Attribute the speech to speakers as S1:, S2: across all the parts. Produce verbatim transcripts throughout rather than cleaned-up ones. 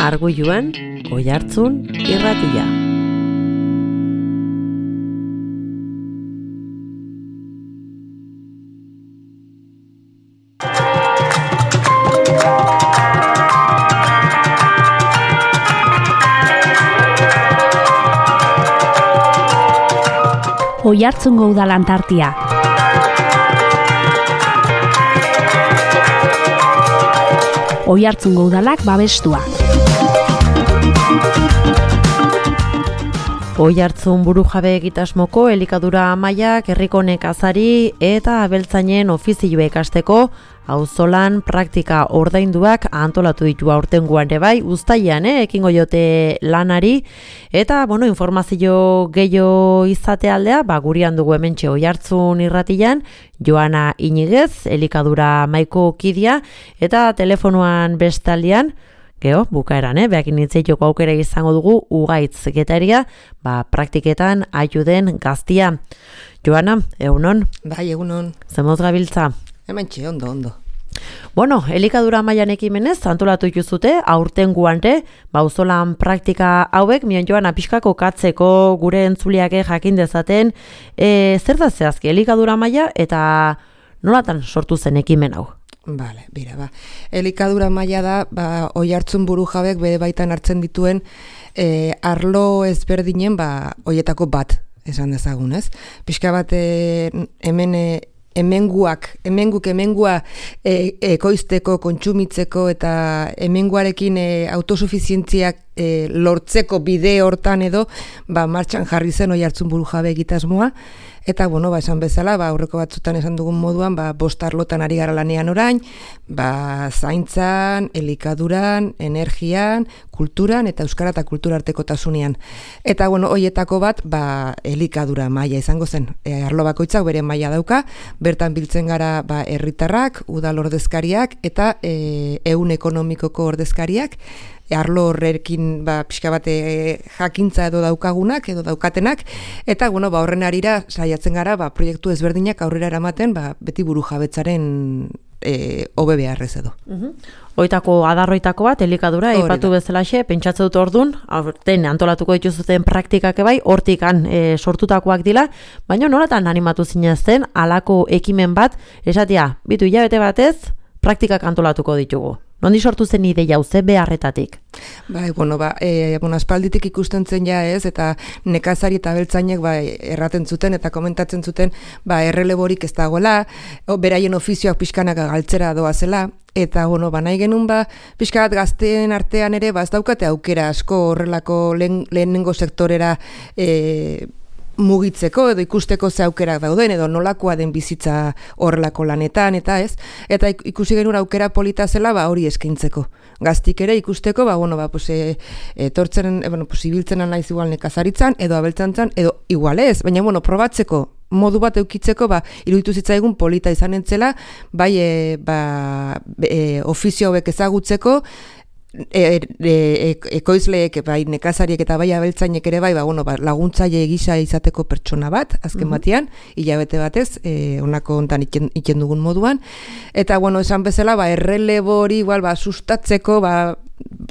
S1: Arguiluan, Oihartzun irratia.
S2: Oihartzungo udalan tartia. Oihartzungo udalak babestua.
S1: Oihartzun burujabe egitasmoko elikadura amaiak herriko nekazari eta abeltzainen ofizioa ikasteko auzolan praktika ordainduak antolatu ditu aurtengoan ere bai, uztailean eh, ekingo jote lanari eta bueno, informazio gehiago izate aldea, ba gurean dugu hementxe Oihartzun irratian Joana Inigez, elikadura maiko kidia eta telefonoan bestaldean Geo, bukaeran, eh? Beakin nintzeitoko aukera izango dugu Ugaitz Getaria, ba, praktiketan ayuden gaztia. Joana, egunon?
S3: Bai, egunon.
S1: Zemoz gabiltza?
S3: Hementxe, ondo, ondo.
S1: Bueno, elikadura mailan ekimenez, antolatu ikuzute, aurten guante, bauzolan praktika hauek, mion Joana pixkako katzeko gure entzuliake jakin dezaten, e, zer da zehazki, elikadura maila eta nolatan sortu zen ekimen hau?
S3: Bale, bira, ba. Elikadura maila da, ba, Oihartzun burujabek bere baitan hartzen dituen e, arlo ezberdinen, ba, hoietako bat, esan dezagun, ez? Pixka bat e, hemen e, hemenguak, hemenguk hemengua e, ekoizteko, kontsumitzeko eta hemenguarekin e, autosufizientziak e, lortzeko bide hortan edo, ba, martxan jarri zen Oihartzun burujabe egitasmoa. Eta, bueno, ba, esan bezala, ba, aurreko batzutan esan dugun moduan, ba, bost arlotan ari gara lanean orain, ba, zaintzan, elikaduran, energian, kulturan eta euskara eta kultura artekotasunean. Eta, bueno, hoietako bat, ba, elikadura maila izango zen. E, arlo bakoitzak bere maila dauka, bertan biltzen gara, ba, herritarrak, udal ordezkariak eta e, ehun ekonomikoko ordezkariak, arlo horrekin ba, pixka bate jakintza edo daukagunak edo daukatenak eta bueno, ba, horren arira saiatzen gara ba, proiektu ezberdinak aurrera eramaten ba, beti burujabetzaren e, hobe beharrez edo.
S1: Uh-huh. Oitako adarroitako bat, elikadura, aipatu bezalaxe, pentsatzen dut ordun, aurten antolatuko dituzuten praktikak bai, hortikan e, sortutakoak dira, baina nolatan animatu zinezten halako ekimen bat, esatia, bitu hilabete batez, praktikak antolatuko ditugu. Nondi sortu zen ideia hau, ze beharretatik?
S3: Bai, bueno, ba, e, bueno, aspalditik ikusten zen ja ez, eta nekazari eta abeltzainek ba, erraten zuten eta komentatzen zuten ba, erreleborik ez dagoela, beraien ofizioak pixkanak galtzera doazela, eta bueno, ba, nahi genuen ba, pixka bat gazteen artean ere, ba, ez daukate aukera asko horrelako lehen, lehenengo sektorera e, mugitzeko edo ikusteko ze aukerak dauden edo nolakoa den bizitza horrelako lanetan eta ez, eta ikusi genuen aukera polita zela ba hori eskaintzeko. Gaztik ere ikusteko, ba bueno, ba pues eh etortzen, e, bueno, pues ibiltzen naiz igual nekazaritzan edo abeltzantzan edo igual ez, baina bueno, probatzeko modu bat eukitzeko, ba iruditu zitzaigun polita izan entzela, bai e, ba e, ofizio hauek ezagutzeko E, e, ekoizleek, bai nekazariek eta bai abeltzainek ere bai, ba, bueno, ba, laguntzaile gisa izateko pertsona bat, azken mm-hmm. batean, hilabete batez, e, honako hontan iken, iken dugun moduan, eta bueno, esan bezala, ba, errelebori igual, ba, sustatzeko, ba,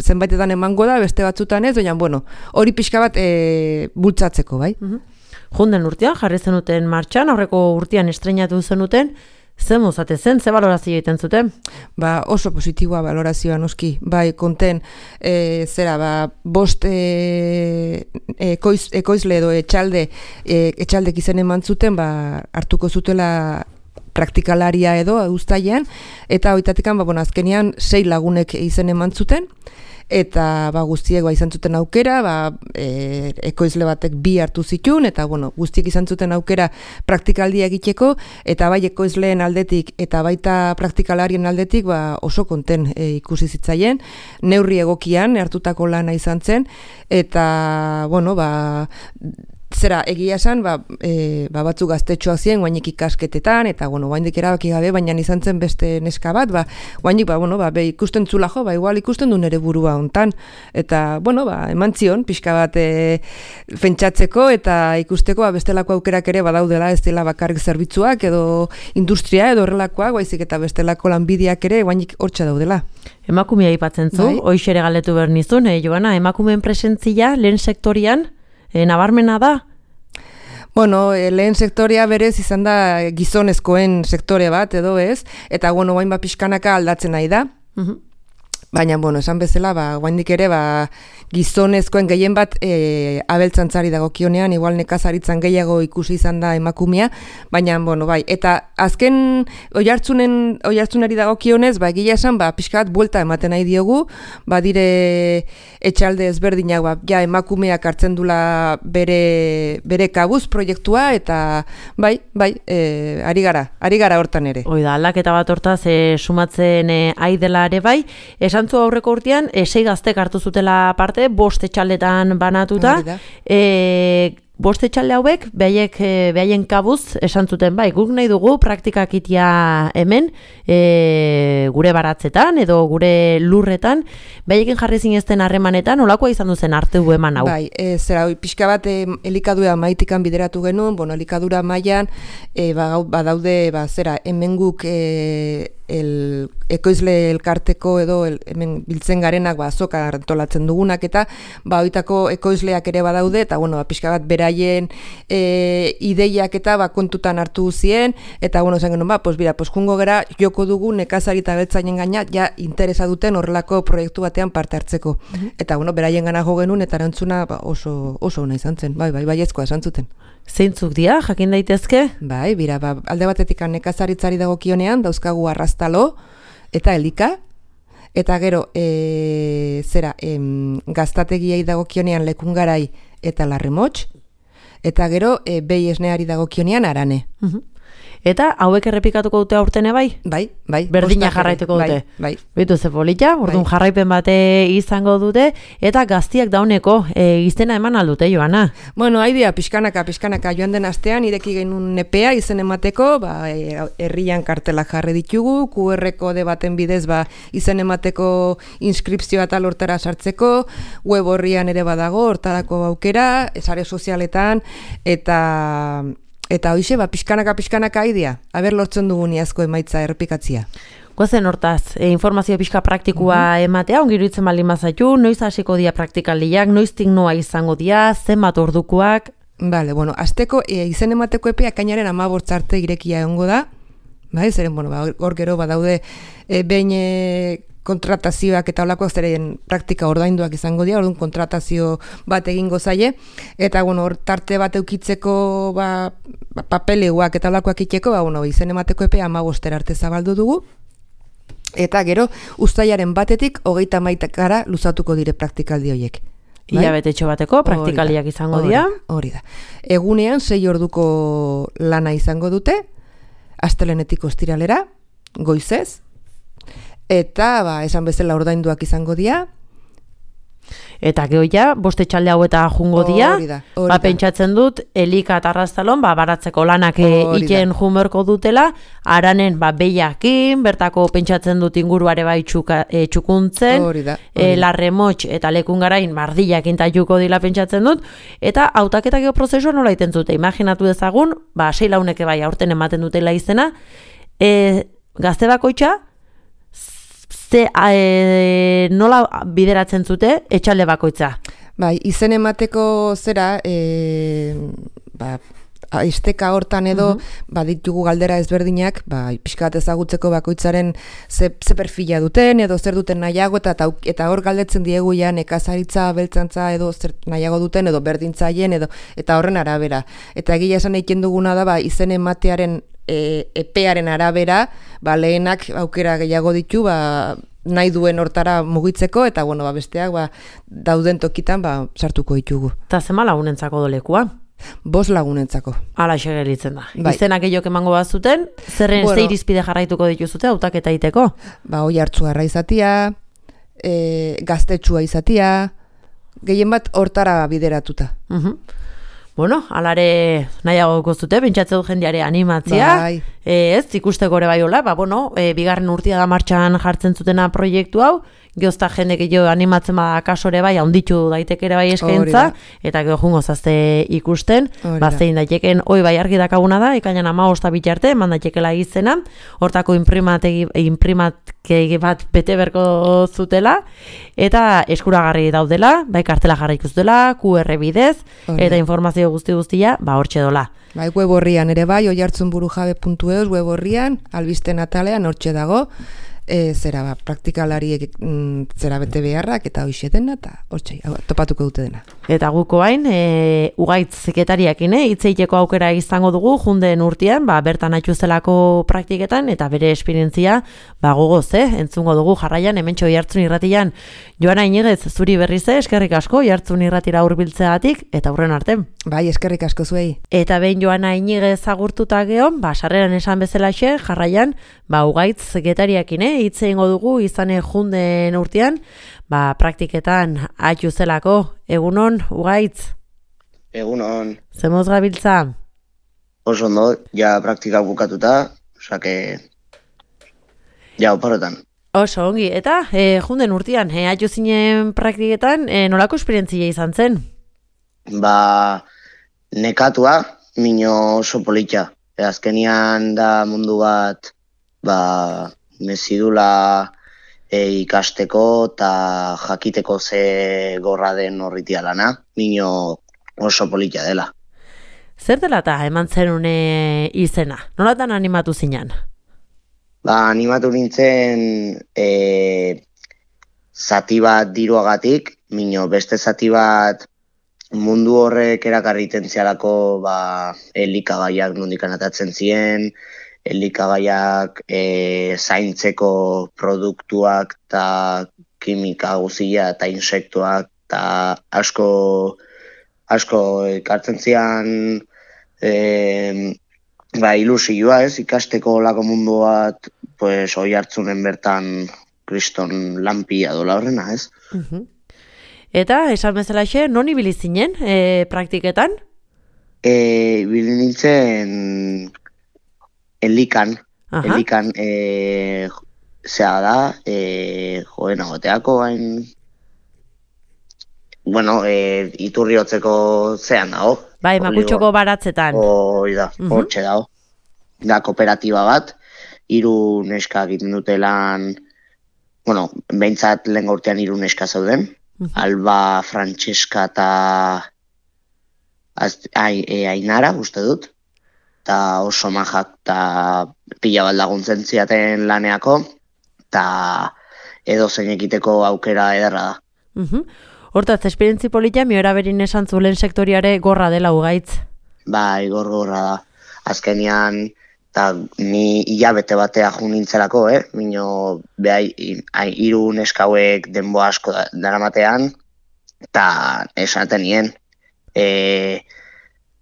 S3: zenbaitetan emango da, beste batzutan ez, baina, bueno, hori pixka bat e, bultzatzeko, bai?
S1: Mm-hmm. Junden urtean, jarri zenuten martxan, aurreko urtean estreinatu zenuten, zer mozate zen, ze balorazio egiten zuten?
S3: Ba, oso positiboa balorazioa noski, bai, konten, e, zera, ba, bost e, ekoiz, ekoizle edo etxalde, e, etxaldek izen eman zuten, ba, hartuko zutela praktikalaria edo, uztailean, eta hoitatikan, ba, bueno, azkenean, sei lagunek izen eman zuten, eta ba, guztiek ba, izan zuten aukera, ba, e, ekoizle batek bi hartu zituen, eta bueno, guztiek izan zuten aukera praktikaldia egiteko, eta bai ekoizleen aldetik, eta baita praktikalarien aldetik ba, oso konten e, ikusi zitzaien, neurri egokian hartutako lana izan zen, eta bueno, ba, zera, egia esan, ba, e, ba batzu gaztetxoak ziren, guainik ikasketetan, eta, bueno, guainik erabaki gabe, baina izan zen beste neska bat, ba, guainik, ba, bueno, ba, be, ikusten zula jo, ba, igual ikusten du nere burua hontan, eta, bueno, ba, eman zion, pixka bat e, pentsatzeko, eta ikusteko, ba, bestelako aukerak ere badaudela, ez dela bakarrik zerbitzuak, edo industria, edo horrelakoak, baizik eta bestelako lanbideak ere, guainik hortxa daudela.
S1: Emakumea aipatzen zu, bai? Hoiz ere galdetu behar nizun, eh, Joana, emakumeen presentzia lehen sektorian, eh, nabarmena da?
S3: Bueno, e, lehen sektorea berez izan da gizonezkoen sektore bat, edo ez, eta bueno, guain ba pixkanaka aldatzen nahi da. Uh-huh. Baina, bueno, esan bezala, ba, guaindik ere, ba, gizonezkoen gehien bat e, abeltzantzari dagokionean, igual nekazaritzan gehiago ikusi izan da emakumea, baina, bueno, bai, eta azken oihartzunen, oihartzunari dagokionez, ba, egia esan, ba, pixka bat buelta ematen nahi diogu, ba, dire etxalde ezberdinak, ba, ja, emakumeak hartzen dula bere, bere kabuz proiektua, eta, bai, bai, e, ari gara, ari gara hortan ere.
S1: Hoi da, aldaketa bat hortaz, e, sumatzen e, aidela ere bai, esan zu aurreko urtean, e, sei gaztek hartu zutela parte, bost etxaldetan banatuta, e, bost etxalde hauek, behaiek, behaien kabuz esan zuten, bai, guk nahi dugu praktikak itia hemen, e, gure baratzetan, edo gure lurretan, behaiekin jarri zinezten harremanetan, olakoa izan duzen arte du eman hau?
S3: Bai, e, zera, pixka bat e, elikadura maitikan bideratu genuen, bueno, elikadura mailan, e, badaude, ba, zera, hemen guk, e, el ekoizle elkarteko edo el, hemen biltzen garenak ba azoka antolatzen dugunak eta ba hoitako ekoizleak ere badaude eta bueno ba pixka bat beraien e, ideiak eta ba kontutan hartu zien eta bueno esan genuen ba pues bira pues jungo gera joko dugu nekazari eta abeltzainen gaina ja interesa duten horrelako proiektu batean parte hartzeko. Mm-hmm. Eta bueno beraien gana jo genuen eta erantzuna ba, oso oso ona izan zen. Bai bai baiezkoa esan zuten.
S1: Zeintzuk dira, jakin daitezke?
S3: Bai, bira, ba, alde batetik nekazaritzari dagokionean dauzkagu arrastalo eta elika, eta gero, e, zera, em, gaztategiei dagokionean lekungarai eta larremots, eta gero, e, behi esneari dagokionean arane. Uh-huh.
S1: Eta hauek errepikatuko dute aurtene bai?
S3: Bai, bai.
S1: Berdina jarraituko dute.
S3: Bai, bai.
S1: Bitu ze polita, orduan
S3: bai.
S1: Jarraipen bate izango dute, eta gaztiak dauneko e, izena eman aldute, Joana?
S3: Bueno, haidea, pixkanaka, pixkanaka joan den astean, ireki genuen nepea izen emateko, ba, herrian kartelak jarri ditugu, Q R kode baten bidez, ba, izen emateko inskripzioa eta lortara sartzeko, web horrian ere badago, hortarako aukera, sare sozialetan, eta... Eta hoize, ba, pixkanaka, pixkanaka aidea, haber lortzen dugun iazko emaitza errepikatzia.
S1: Goazen hortaz, e, informazio pixka praktikua mm-hmm. ematea, ongiruditzen baldin mazaitu, noiz hasiko dia praktikaldiak, noiztik noa izango dia, zenbat ordukoak?
S3: Bale, bueno, azteko e, izen emateko epea kainaren amabortz arte irekia egongo da, bai, zeren, bueno, ba, hor gero badaude e, behin e, kontratazioak eta olakoak zeren praktika ordainduak izango dira, orduan kontratazio bat egingo zaie, eta bueno, hor tarte bat eukitzeko ba, ba, papeleguak eta olakoak itxeko, ba, bueno, izen emateko epea amabostera arte zabaldu dugu, eta gero uztailaren batetik hogeita hamaikara luzatuko dire praktikaldi horiek.
S1: Bai? Ilabetetxo bateko praktikaliak izango dira.
S3: Hori da. Egunean sei orduko lana izango dute, astelenetik ostiralera, goizez, eta, ba, esan bezala ordainduak izango dira.
S1: Eta gehoia, boste txalde hau eta jungo dira. Ba, pentsatzen dut, elika eta arrastalon, ba, baratzeko lanak iten junberko dutela, aranen, ba, behiakin, bertako pentsatzen dut inguruare bai txuka, e, txukuntzen, e, larremots eta lekungarain mardiak intajuko dila pentsatzen dut, eta hautaketa geoprozesua nola iten zute, imaginatu dezagun, ba, sei launeke bai aurten ematen dutela izena, e, gazte bakoitza, ze e, nola bideratzen zute etxalde bakoitza?
S3: Bai, izen emateko zera, e, ba, aizteka hortan edo, uh-huh. ba, ditugu galdera ezberdinak, ba, pixkat ezagutzeko bakoitzaren ze, ze perfila duten, edo zer duten nahiago, eta, eta hor galdetzen diegu ja nekazaritza, beltzantza, edo zer nahiago duten, edo berdintzaien, edo, eta horren arabera. Eta egia esan eiken duguna da, ba, izen ematearen E, epearen arabera, ba, lehenak aukera gehiago ditu, ba, nahi duen hortara mugitzeko, eta bueno, ba, besteak ba, dauden tokitan ba, sartuko ditugu.
S1: Eta zema lagunentzako dolekua?
S3: Bost lagunentzako.
S1: Hala segeritzen da.
S3: Bai.
S1: Izenak egiok emango bat zuten, zerren bueno, ze irizpide jarraituko dituzute, hautaketa iteko?
S3: Ba, oi hartzuarra izatia, e, gaztetxua izatia, gehien bat hortara bideratuta.
S1: Uh-huh. Bueno, alare nahiago kozute, pentsatzen dut jendeare animatzia,
S3: Bai.
S1: e, ez, ikusteko ere bai hola, ba, bueno, e, bigarren urtia da martxan jartzen zutena proiektu hau, geozta jende gehiago animatzen bada kasore bai, haunditu daiteke ere bai eskaintza, eta gero jungo zazte ikusten, ba, zein daiteken, hoi bai argi dakaguna da, ikainan ama osta bitarte, eman daitekela izena, hortako imprimategi, imprimategi bat bete berko zutela, eta eskuragarri daudela, bai kartela jarri ikustela, Q R bidez, eta informazio guzti guztia, ba, hortxe dola.
S3: Bai, web horrian ere bai, oihartzunburujabe puntu eus web horrian, albisten atalean hortxe dago, e, zera ba, praktikalariek mm, zera bete beharrak eta hoxe dena, eta hortxe, topatuko dute dena.
S1: Eta guko hain, e, ugaitz sekretariakin, e, hitzeiteko aukera izango dugu, junden urtean, ba, bertan aitzuzelako praktiketan, eta bere esperientzia, ba, gogoz, eh? Entzungo dugu jarraian, hementxo Oihartzun irratian. Joana Inigez, zuri berriz, eskerrik asko, Oihartzun irratira hurbiltzeagatik, eta hurren arte.
S3: Bai, eskerrik asko zuei.
S1: Eta behin Joana Inigez agurtuta geon, ba, sarreran esan bezalaxe, jarraian, ba, ugaitz sekretariakin, eh? Hitze ingo dugu, izane junden urtean, ba, praktiketan aitzuzelako. Egunon, ugaitz?
S4: Egunon.
S1: Zemoz gabiltza?
S4: Oso ondo, ja praktika bukatuta, osake, ja oparotan.
S1: Oso ongi, eta e, junden urtean, e, aitzu zinen praktiketan, e, nolako esperientzia izan zen?
S4: Ba, nekatua, mino oso politxa. E, azkenian da mundu bat, ba, mezidula e, ikasteko eta jakiteko ze gorra den horritia lana, mino oso politxa dela.
S1: Zer dela eta eman zenune izena? Nolatan animatu zinan?
S4: Ba, animatu nintzen e, zati bat diruagatik, mino beste zati bat mundu horrek erakarriten zialako ba, elikagaiak nondikan atatzen ziren, elikagaiak e, zaintzeko produktuak eta kimika guzia eta insektuak eta asko asko ekartzen zian e, ba, ilusioa, ez, ikasteko lako mundu bat, pues, Oihartzunen bertan kriston lanpia dola horrena, ez?
S1: Uh-huh. Eta, esan bezalaxe, non ibili zinen e, praktiketan?
S4: E, ibili nintzen elikan,
S1: Aha.
S4: elikan e, zea da, e, joen agoteako hain, bueno, e, iturri hotzeko zean dago.
S1: Bai, makutxoko baratzetan.
S4: Hoi da,
S1: Mhm.
S4: hortxe dago. Da kooperatiba bat, hiru neska egiten dute lan, bueno, behintzat lehen urtean hiru neska zeuden,
S1: Mhm.
S4: Alba, Frantseska eta az- ai, e, Ainara, uste dut, eta oso majak eta pila bat laguntzen ziaten laneako, eta edo zein egiteko aukera ederra da.
S1: Uh-huh. Hortaz, esperientzi polita, miora berin esan zulen sektoriare gorra dela ugaitz.
S4: Bai, gor-gorra da. Azkenean, eta ni hilabete batea jo nintzelako, eh? Mino, behai, hiru neskauek denbo asko da- daramatean, eta esaten nien, e,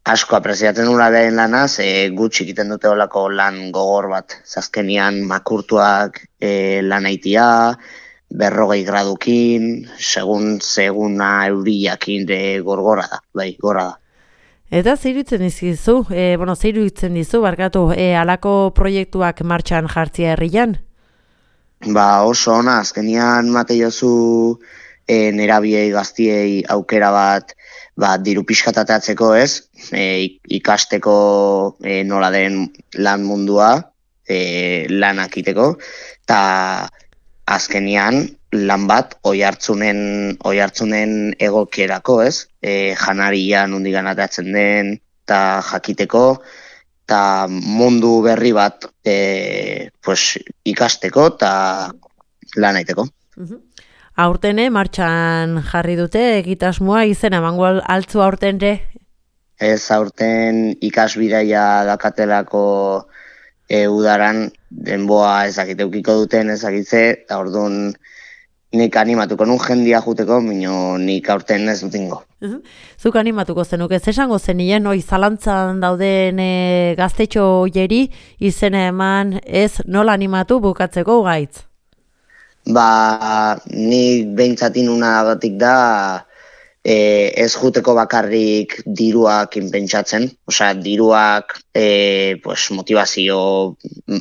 S4: asko apreziatzen nula lehen lanaz, e, gutxi egiten dute olako lan gogor bat. Azkenean makurtuak e, lan aitia, berrogei gradukin, segun seguna euriakin de gorgora da, bai, gorra da.
S1: Eta zeirutzen dizu, e, bueno, zeirutzen dizu, barkatu, e, alako proiektuak martxan jartzia herrian?
S4: Ba, oso ona, azkenian mate jozu e, nerabiei gaztiei aukera bat, ba, diru pixkatateatzeko, ez? E, ikasteko e, nola den lan mundua, e, lanak iteko, eta azkenian lan bat oihartzunen oihartzunen egokierako, ez? E, janaria nondigan atatzen den, eta jakiteko, eta mundu berri bat e, pues, ikasteko eta lan aiteko.
S1: Uh-huh. Aurtene, martxan jarri dute, egitasmoa izena, emango altzu aurtenre?
S4: Ez aurten ikasbidaia dakatelako e, udaran denboa ezakiteukiko duten ezakitze, eta orduan nik animatuko nun jendia juteko, mino nik aurten ez dutingo.
S1: Uh-huh. Zuk animatuko zenuke, ez esango zenien, oi, zalantzan dauden e, gaztetxo jeri izena eman, ez nola animatu bukatzeko ugaitz?
S4: Ba, nik behintzatin unagatik da e, ez juteko bakarrik diruak inpentsatzen, osea, diruak e, pues, motivazio,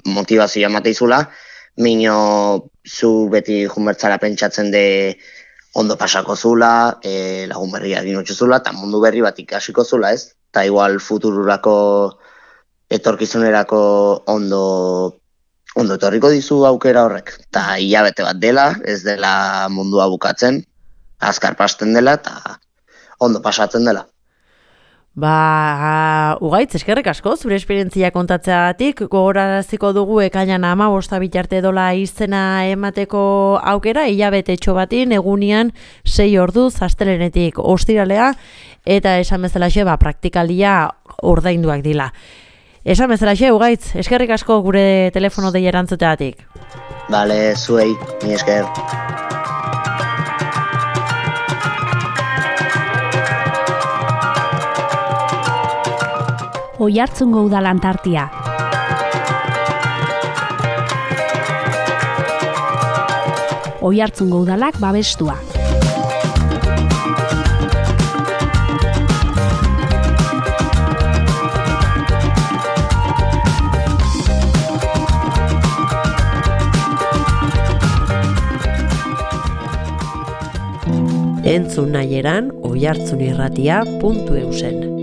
S4: motivazioa mateizula, mino zu beti junbertzara pentsatzen de ondo pasako zula, e, lagun berria egin zula, eta mundu berri bat ikasiko zula, ez? Eta igual futururako, etorkizunerako ondo, ondo etorriko dizu aukera horrek. Eta hilabete bat dela, ez dela mundua bukatzen, azkar pasten dela eta ondo pasatzen dela.
S1: Ba, Ugaitz, eskerrik asko, zure esperientzia kontatzeagatik, gogoraraziko dugu ekainan hamabost bitarte dola izena emateko aukera, hilabetetxo batin, egunean sei orduz, astelehenetik ostiralea, eta esan bezalaxe, ba, praktikaldia ordainduak dila. Esan bezalaxe, Ugaitz, eskerrik asko gure telefono dei erantzuteagatik.
S4: Bale, zuei, ni esker.
S2: Oiartzungo Udalan tartea. Oiartzungo Udalak babestua.
S1: Entzun nahieran oiartzunirratia puntu eusen.